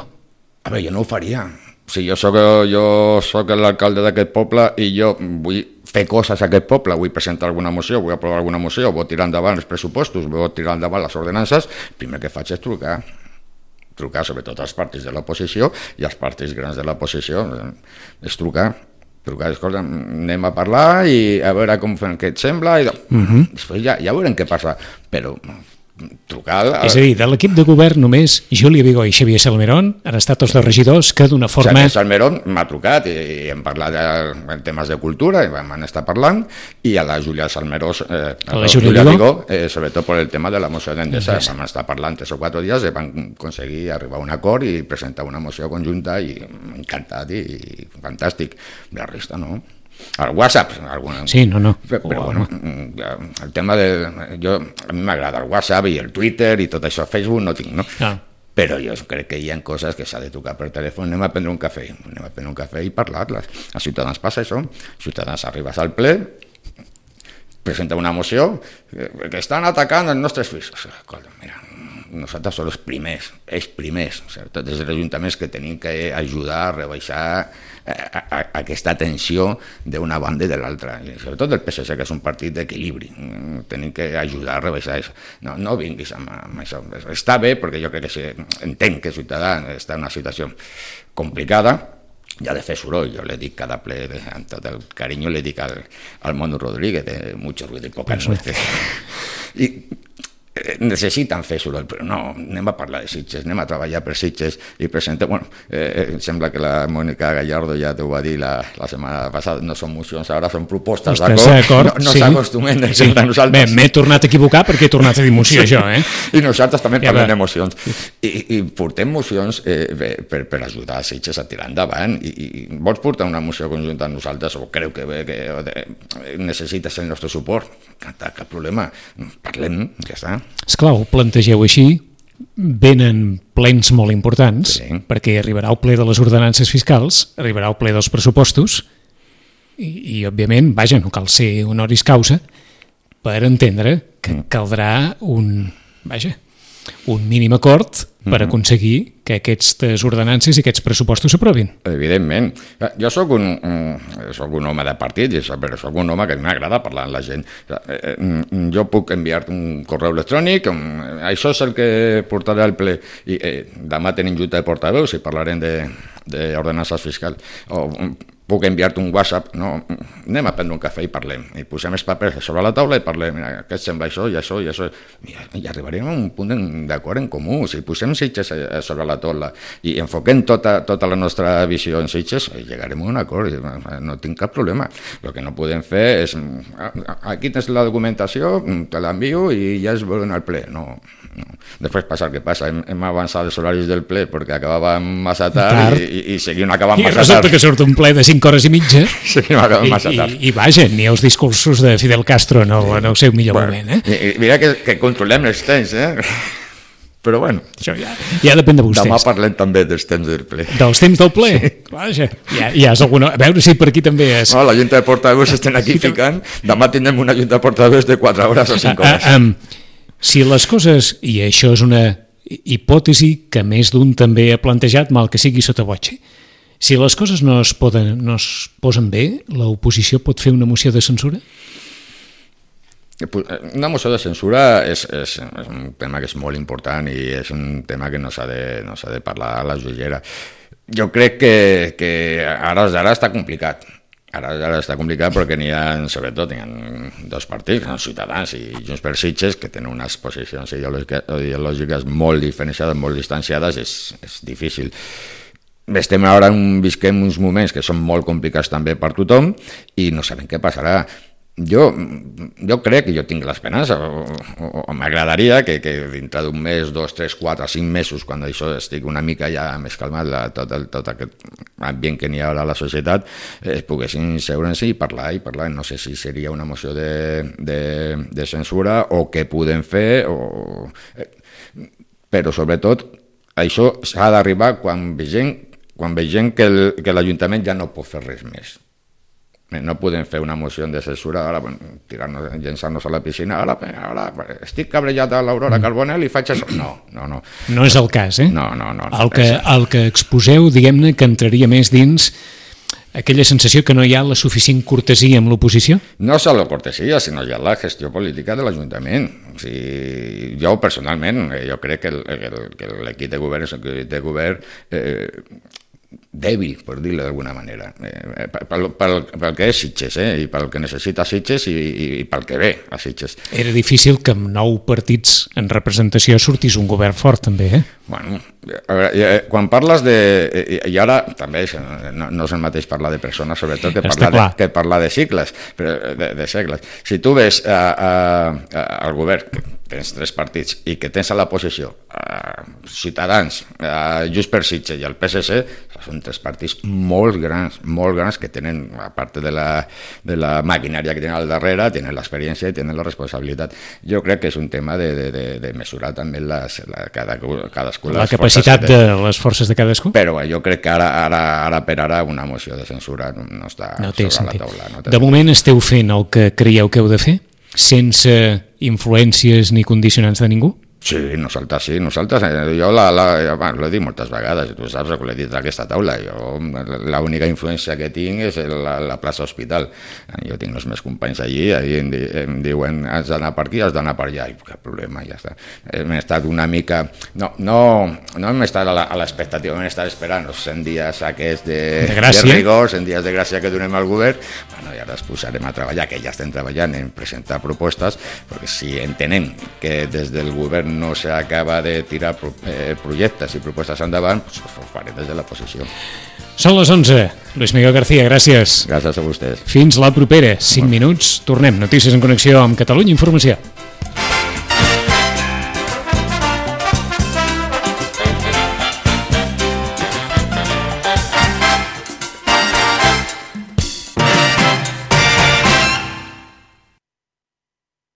A veure, jo no ho faria. Si jo soc, jo soc l'alcalde d'aquest poble i jo vull fer coses a aquest poble, vull presentar alguna moció, vull aprovar alguna moció, vull tirar endavant els pressupostos, vull tirar endavant les ordenances, el primer que faig és trucar. trucar sobretot als partits de l'oposició i als partits grans de l'oposició, és trucar, trucar, escolta, anem a parlar i a veure com fem, què et sembla, i uh-huh. després ja, ja veurem què passa, però trucar... A... És a dir, de l'equip de govern només Júlia Vigó i Xavier Salmerón han estat els dos regidors que d'una forma... Xavier Salmerón m'ha trucat i, i hem parlat de temes de cultura i vam estar parlant i a la Júlia Salmeró, eh, a la Júlia Vigó, eh, sobretot per el tema de la moció d'Endesa, vam estar parlant tres o quatre dies i vam aconseguir arribar a un acord i presentar una moció conjunta i encantat i, i fantàstic. La resta no. El WhatsApp, alguna... Sí, no, no. Però, però bueno, el tema de... Jo, a mi m'agrada el WhatsApp i el Twitter i tot això, Facebook no tinc, no? Ah. Però jo crec que hi ha coses que s'ha de trucar per telèfon, anem a prendre un cafè, anem a prendre un cafè i parlar-les. A Ciutadans passa això, Ciutadans arribes al ple, presenta una moció, que estan atacant els nostres fills. Escolta, mira, nosaltres som els primers, els primers, tots els ajuntaments que tenim que ajudar a rebaixar a, a, a aquesta tensió d'una banda i de l'altra, i sobretot el P S C, que és un partit d'equilibri, tenim que ajudar a rebaixar això. No, no vinguis amb, amb això. Està bé, perquè jo crec que sí, entenc que Ciutadans està en una situació complicada, i ha de fer soroll, jo le dic cada ple, amb tot el carinyo le dic al, al Mono Rodríguez, de mucho ruido y poca nueces. I necessiten fer soroll, però no, anem a parlar de Sitges, anem a treballar per Sitges i presentem, bueno, eh, em sembla que la Mònica Gallardo ja t'ho va dir la, la setmana passada, no són mocions, ara són propostes, d'acord? No, no s'acostumen sí. a nosaltres. Bé, m'he tornat a equivocar perquè he tornat a dir moció, jo, eh? I nosaltres també ja parlem va. de mocions. I, i portem mocions eh, per, per ajudar a Sitges a tirar endavant. I, i vols portar una moció conjunta amb nosaltres o creu que, que eh, necessites el nostre suport? Cap problema, parlem, ja està. Esclar, ho plantegeu així, venen plens molt importants, sí. perquè arribarà el ple de les ordenances fiscals, arribarà el ple dels pressupostos, i, i òbviament, vaja, no cal ser honoris causa, per entendre que caldrà un, vaja, un mínim acord per aconseguir que aquestes ordenances i aquests pressupostos s'aprovin. Evidentment. Jo soc un, soc un home de partit, però soc un home que m'agrada parlar amb la gent. Jo puc enviar-te un correu electrònic, això és el que portaré al ple. I eh, demà tenim junta de portaveus i parlarem d'ordenances fiscals. O puc enviar-te un WhatsApp, no, anem a prendre un cafè i parlem. I posem els papers sobre la taula i parlem, mira, què et sembla això i això i això. Mira, i arribarem a un punt d'acord en comú. Si posem Sitges sobre la taula i enfoquem tota, tota la nostra visió en Sitges, llegarem a un acord, no tinc cap problema. El que no podem fer és, aquí tens la documentació, te l'envio i ja es veuen al ple. No, no. Després passa el que passa, hem, hem avançat els horaris del ple perquè acabàvem massa tard i, i, i seguim acabant I massa tard. I resulta que surt un ple de cinc hores i mitja seguim acabant massa tard. I, i, i vaja, ni els discursos de Fidel Castro en el, en el seu millor bueno, moment. Eh? I, mira que, que controlem els temps, eh? Però bueno, això ja, ja depèn de vostès. Demà parlem també dels temps del ple. Dels temps del ple? Sí. Vaja, ja, ja és alguna... A veure si per aquí també és... No, la junta de portaveus estem aquí sí, ficant, demà tindrem una junta de portaveus de quatre hores o cinc hores. Uh, um, si les coses, i això és una hipòtesi que més d'un també ha plantejat, mal que sigui sota voce, si les coses no es, poden, no es posen bé, l'oposició pot fer una moció de censura? Una moció de censura és, és, és un tema que és molt important i és un tema que no s'ha de, no s'ha de parlar a la jollera. Jo crec que, que ara, ara està complicat. Ara, ara està complicat perquè n'hi ha, sobretot, n'hi ha dos partits, Ciutadans i Junts per Sitges, que tenen unes posicions ideològiques molt diferenciades, molt distanciades, és, és difícil. Estem ara, visquem uns moments que són molt complicats també per tothom i no sabem què passarà. Jo, jo crec que jo tinc l'esperança, o, o, o m'agradaria que, que dintre d'un mes, dos, tres, quatre, cinc mesos, quan això estigui una mica ja més calmat, la, tot, el, tot aquest ambient que n'hi ha a la societat, es poguessin seure'ns i parlar i parlar. No sé si seria una moció de, de, de censura o què podem fer, o... però sobretot això s'ha d'arribar quan vegem, quan vegem que, el, que l'Ajuntament ja no pot fer res més. No podem fer una moció de censura, ara bueno, tirar-nos, llençar-nos a la piscina, ara, ara estic cabrejat a l'Aurora Carbonell i faig això. No, no, no. No és el cas, eh? No, no, no. El que, el que exposeu, diguem-ne, que entraria més dins aquella sensació que no hi ha la suficient cortesia amb l'oposició? No és la cortesia, sinó ja la gestió política de l'Ajuntament. O sigui, jo personalment, jo crec que, el, que l'equip de govern és un equip de govern eh, dèbil, per dir-ho d'alguna manera, eh, pel, pel, pel que és Sitges, eh, i pel que necessita Sitges i, i, i pel que ve a Sitges. Era difícil que amb nou partits en representació sortís un govern fort, també, eh? Bueno, a veure, quan parles de... I ara també és, no, no és el mateix parlar de persones, sobretot, que parlar de, que parlar de cicles, de, de segles. Si tu ves a, a, a, al govern, que tens tres partits, i que tens a la posició a Ciutadans, a Junts per Sitges i al P S C, són tres partits molt grans, molt grans, que tenen, a part de la, de la maquinària que tenen al darrere, tenen l'experiència i tenen la responsabilitat. Jo crec que és un tema de, de, de, de mesurar també les, la, cada, cadascú la capacitat de, de les forces de cadascú. Però jo crec que ara, ara, ara per ara una moció de censura no, no està no sobre sentit. la taula. No de moment esteu fent el que creieu que heu de fer, sense influències ni condicionants de ningú? Sí, nosaltres sí, nosaltres, jo la, la, bueno, l'he dit moltes vegades, tu saps que l'he dit a aquesta taula, jo l'única influència que tinc és la, la plaça Hospital, jo tinc els meus companys allí, allí em, di, em diuen has d'anar per aquí, has d'anar per allà, i cap problema, ja està. Hem estat una mica, no, no, no hem estat a l'expectativa, hem estat esperant els cent dies aquests de, de, de rigor, cent dies de gràcia que donem al govern, bueno, i ara ens posarem a treballar, que ja estem treballant en presentar propostes, perquè si entenem que des del govern no s'acaba de tirar pro, eh, projectes i propostes endavant, doncs ho farem des de la posició. Són les onze. Luis Miguel García, gràcies. Gràcies a vostès. Fins la propera. cinc minuts, tornem. Notícies en connexió amb Catalunya Informació.